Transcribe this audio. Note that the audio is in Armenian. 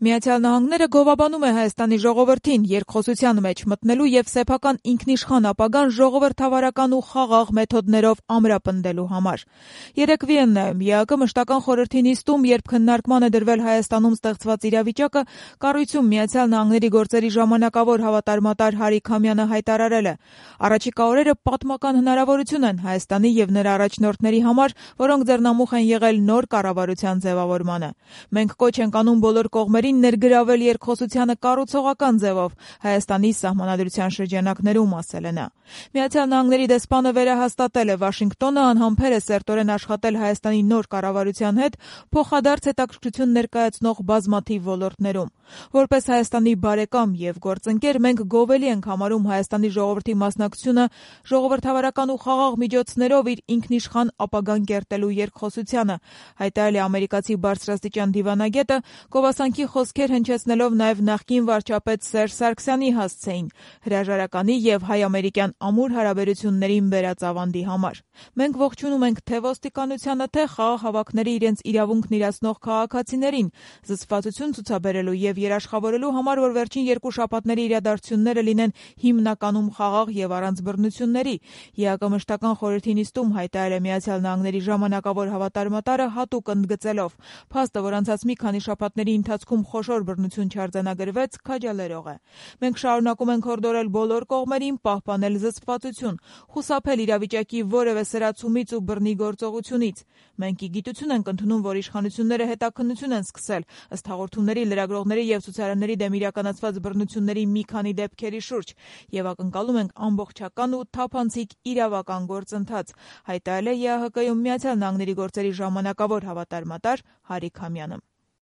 Միացյալ Նահանգները գովաբանում է Հայաստանի ժողովրդին երկխոսության մեջ մտնելու եւ սեփական ինքնիշխան ապագան ժողովրդավարական ու խաղաղ մեթոդներով ամրապնդելու համար։ Երեկ Վիեննայում ԵԱԿ մշտական խորհրդի նիստում, երբ քննարկման է դրվել Հայաստանում ստեղծված իրավիճակը, կառույցում Միացյալ Նահանգների գործերի ժամանակավոր հավատարմատար Հարիկ Համյանը հայտարարել է. «Առաջիկա օրերը պատմական հնարավորություն են Հայաստանի եւ նրա առաջնորդների համար, որոնք ձեռնամուխ են եղել նոր կառավարության ձևավորմանը։ Մենք կոչ ենք անում բոլոր կողմերին ներգրավել երկխոսությանը կառուցողական ձևով Հայաստանի սահմանադրության շրջանակներում», ասել է նա։ Միացյալ Նահանգների դեսպանը վերահաստատել է Վաշինգտոնը անհամբեր է սերտորեն աշխատել Հայաստանի նոր կառավարության հետ փոխադարձ հետաքրքրություն ներկայացնող բազմաթիվ ոլորտներում։ Որպես Հայաստանի բարեկամ եւ գործընկեր մենք գովելի ենք համարում Հայաստանի ժողովրդի մասնակցությունը ժողովրդավարական ու խաղաղ միջոցներով իր ինքնիշխան ապագան կերտելու երկխոսությանը, հայտարարել է ամերիկացի բարձրաստիճան դիվանագետը, գովասանքի խոսքեր հնչեցնելով նաև նախկին վարչապետ Սերժ Սարգսյանի հասցեին հրաժարականի եւ հայ-ամերիկյան ամուր հարաբերություններին բերած ավանդի համար։ Մենք ողջունում ենք թե ոստիկանությանը, թե խաղաղ հավաքների իրենց իրավունքն իրացնող քաղաքացիներին զսպվածություն ցուցաբերելու եւ երաշխավորելու համար, որ վերջին երկու շաբաթների իրադարձությունները լինեն հիմնականում խաղաղ եւ առանց բռնությունների, ԵԱԿ մշտական խորհրդի նիստում հայտարարել է Միացյալ Նահանգների ժամանակավոր հավատարմատարը հատուկ ընդգծելով. «Փաստը, որ անցած մի քանի շաբաթների ընթացքում խոշոր բռնություն չարձանագրվեց, քաջալերող է։ Մենք շարունակում ենք հորդորել բոլոր կողմերին պահպանել զսպվածություն, խուսափել իրավիճակի որևէ սրացումից ու բռնի գործողությունից։ Մենք ի գիտություն ենք ընդունում, որ իշխանությունները հետաքննություն են սկսել ըստ հաղորդումների, լրագրողների եւ ցուցարարների դեմ իրականացված բռնությունների մի քանի դեպքերի շուրջ եւ ակնկալում ենք ամբողջական ու թափանցիկ իրավական գործընթաց», հայտարարել է ԵԱՀԿ-ում Միացյալ Նահանգների գործերի ժամանակավոր հավատարմատար Հարիկ Համյանը։